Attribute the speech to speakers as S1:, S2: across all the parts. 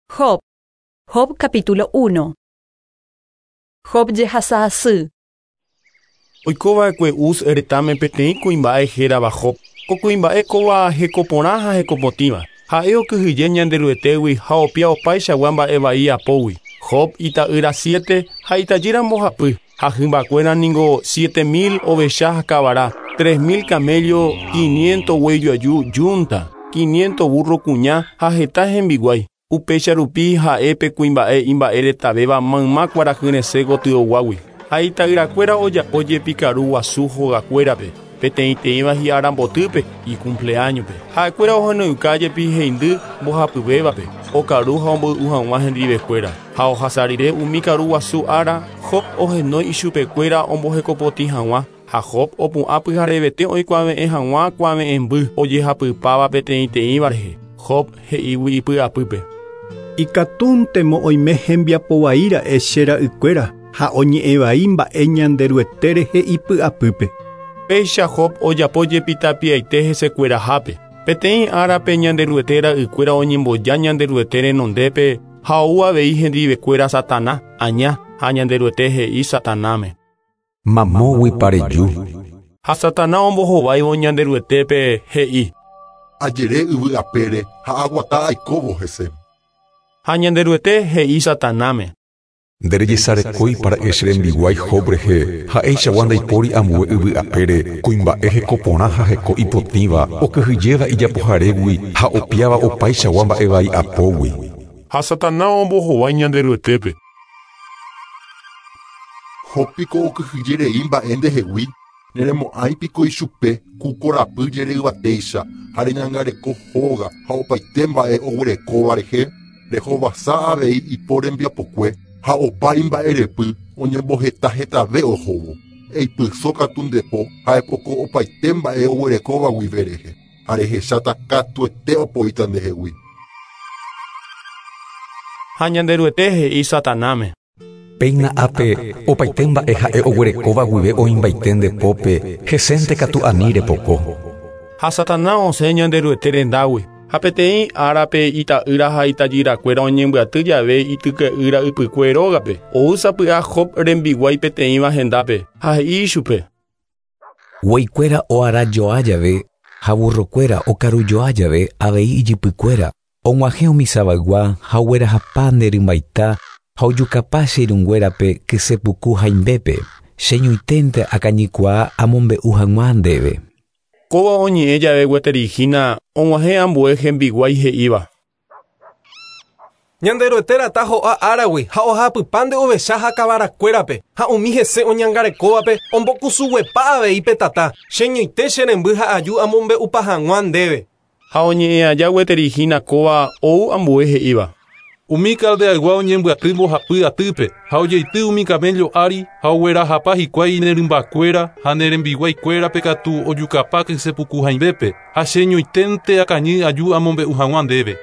S1: Job. Job capítulo 1. Job jehasa asy.
S2: Oiko va'ekue Uz retãme peteĩ kuimba'e hérava Job. Ko kuimba'e kóva heko porã ha heko potĩva. Ha'e okyhyje Ñanderuetégui ha opia opaichagua mba'e vai apógui. Job ita'ýra siete ha itajýra mbohapy, ha hymbakuéra ningo 7000 ovecha ha kavara, 3000 camello, 500 guéi joaju yunta, 500 burro kuña ha heta hembiguái. Upéicha rupi ha'e pe kuimba'e imba'e retavéva mayma kuarahyresẽ gotyoguágui. Ha ita'yrakuéra ojapo jepi karu guasu hogakuérape, peteĩteĩva hi'arambotýpe icumpleáñope. Ha'ekuéra ohenoiuka jepi heindy mbohapyvévape, okaru ha omboy'u hag̃ua hendivekuéra. Ha ohasa rire umi karu guasu ára, Job ohenói ichupekuéra ombohekopotĩ hag̃ua. Ha Job opu'ã pyharevete oikuave'ẽ hag̃ua kuave'ẽmby ojehapypáva peteĩteĩva rehe. Job he'ígui ipy'apýpe.
S3: Ikatúntemo oime hembiapo vai ra'e che ra'ykuéra ha oñe'ẽ vai mba'e Ñanderuete rehe ipy'apýpe.
S2: Péicha Job ojapo jepi tapiaite hesekuerahápe. Peteĩ árape Ñanderuete ra'ykuéra oñemboja Ñanderuete renondépe ha ou avei hendivekuéra Satana, Aña, ha Ñanderuete he'i Satanáme.
S4: Mamóguipa reju.
S2: Ha Satana ombohováivo Ñanderuetépe he'i.
S5: Ajere yvy apére ha aguata aikóvo hese.
S2: Ha Ñanderuete he'i Satanáme.
S4: Nderejesarekóipa ra'e che rembiguái Job rehe, ha'eichagua ndaipóri ambue yvy apére, kuimba'e heko porã ha heko ipotĩva, okyhyjéva ijapoharégui ha opiáva opaichagua mba'e vai apógui.
S2: Ha Satana ombohovái Ñanderuetépe.
S5: Job piko okyhyjerei mba'e ndehegui, neremo'ãi piko ichupe ku korapy jereyvatéicha ha reñangareko hóga ha opaite mba'e oguerekóva rehe, rehovasa avei ipo rembiapokue ha opa imba'erepy oñemboheta hetave ohóvo. Eipyso katu nde po ha epoko opaite mba'e oguerekóva guive rehe, ha rehecháta katuete opoíta ndehegui.
S2: Ha Ñanderuete he'i Satanáme.
S4: Péina ápe opaite mba'e ha'e oguerekóva guive oĩmbaite nde pópe, hesénte katu ani repoko.
S2: Ha Satana osẽ Ñanderuete rendágui. Ha peteĩ árape ita'ýra ha itajyrakuéra oñembyaty jave ityke'ýra ypykue rógape, ou sapy'a Job rembiguái peteĩva hendápe, ha he'i ichupe.
S6: Guéikuéra oarajoa jave ha burrokuéra okarujoa jave avei ijypykuéra, og̃uahẽ umi savaygua ha oguerahapa nde rymbaita ha ojukapa che irũnguérape kysepuku haimbépe, cheñoiténte akañykuaa amombe'u hag̃ua ndéve.
S2: Kóva oñe'ẽ jave gueteri hína og̃uahẽ ambue hembiguái he'íva.
S7: Ñanderuete rata ho'a áragui ha ohapypa nde ovecha ha kavarakuérape ha umi hese oñangarekóvape ombokusuguepa avei pe tata, cheñoite che remby ha aju amombe'upa hag̃ua ndéve.
S2: Ha oñe'ẽ aja gueteri hína kóva ou ambue he'íva.
S8: Umi caldeaygua oñembyaty mbohapy atýpe ha ojeity umi camello ári ha oguerahapa hikuái nerymbakuéra ha nerembiguaikuérape katu ojukapa kysepuku haimbépe ha cheñoiténte akañy aju amombe'u hag̃ua ndéve.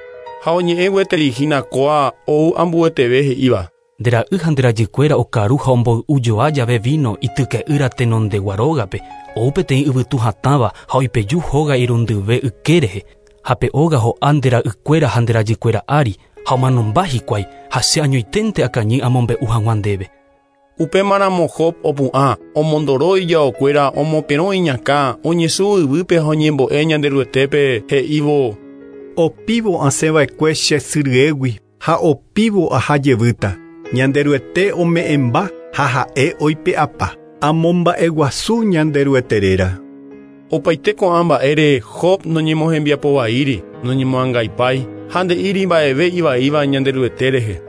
S2: Ha oñe'ẽ gueteri hína kóa ou ambueteve he'íva.
S9: Nde ra'y ha nde rajykuéra okaru ha omboy'ujoa jave vino ityke'ýra tenondegua rógape, ou peteĩ yvytu hatãva ha oipeju hóga irundyve yke rehe, ha pe óga ho'a nde ra'ykuéra ha nde rajykuéra ári, ha omanomba hikuái ha che añoiténte akañy amombe'u hag̃ua ndéve.
S2: Upémaramo Job opu'ã, omondoro ijaokuéra, omoperõ iñakã, oñesũ yvýpe ha oñembo'e Ñanderuetépe he'ívo.
S3: Opívo asẽva'ekue che sy ryégui ha opívo aha jevýta. Ñanderuete ome'ẽmba ha ha'e oipe'apa. Amomba'eguasu Ñanderuete réra.
S2: Opaite ko'ã mba'ére Job noñemohembiapovaíri, noñemoangaipái, ha nde'íri mba'eve ivaíva Ñanderuete rehe.